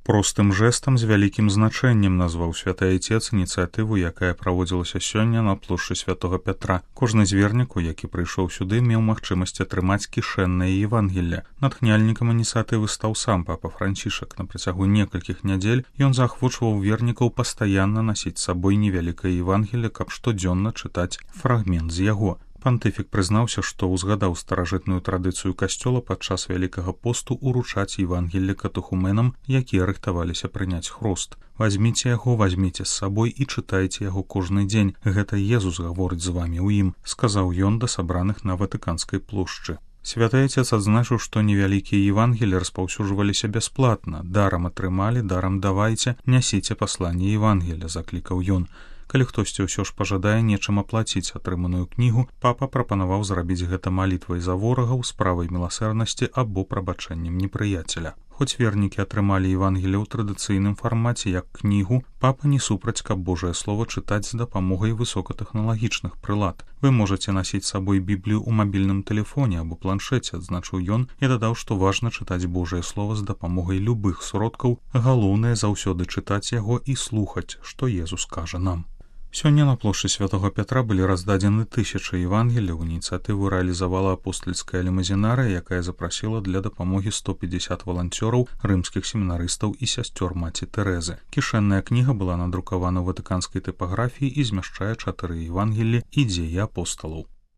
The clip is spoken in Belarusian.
Простым жэстам з вялікім значэннем назваў святы айцец ініцыятыву, якая праводзілася сёння на плошчы святого Пятра. Кожны з вернікаў, які прыйшоў сюды, меў магчымасць атрымаць кішэннае Евангелле. Натхняльнікам ініцыятывы стаў сам папа Францішак. На працягу некалькіх нядзель ён заахвочваў вернікаў пастаянна насіць з сабой невялікае Евангелле, каб штодзённа чытаць фрагмент з яго. Пантыфік прызнаўся, што ўзгадаў старажытную традыцыю касцёла падчас вялікага посту уручаць Евангелле катэхуменам, якія рыхтаваліся прыняць хрост. «Вазьміце яго, вазьміце з сабой і чытайце яго кожны дзень. Гэта Езус гаворыць з вамі ў ім», сказаў ён да сабраных на Ватыканскай плошчы. Святы айцец адзначыў, што невялікія Евангелі распаўсюджваліся бясплатна. «Дарам атрымалі, дарам давайце, нясіце пасланне Евангеля», заклікаў ён. Калі хтосьці ўсё ж пажадае нечым аплаціць атрыманую кнігу, папа прапанаваў зрабіць гэта малітвай за ворагаў, справай міласэрнасці або прабачэннем непрыяцеля. Хоць вернікі атрымалі Евангелле ў традыцыйным фармаце як кнігу, папа не супраць, каб Божае Слово чытаць з дапамогай высокатэхналагічных прылад. «Вы можаце насіць з сабой Біблію ў мабільным тэлефоне або планшеце», адзначыў ён і дадаў, што важна чытаць Божае Слово з дапамогай любых сродкаў, галоўнае заўсёды чытаць яго і слухаць, што Езус кажа нам. Сёння на плошчы святого Пятра былі раздадзены тысячы Евангеляў. Ініцыятыву рэалізавала апостальская лімузінарыя, якая запрасіла для дапамогі 150 валанцёраў, рымскіх семінарыстаў і сясцёр маці Тэрэзы. Кішэнная кніга была надрукавана ў ватыканскай тыпаграфіі і змяшчае 4 Евангеллі і дзеі апосталаў.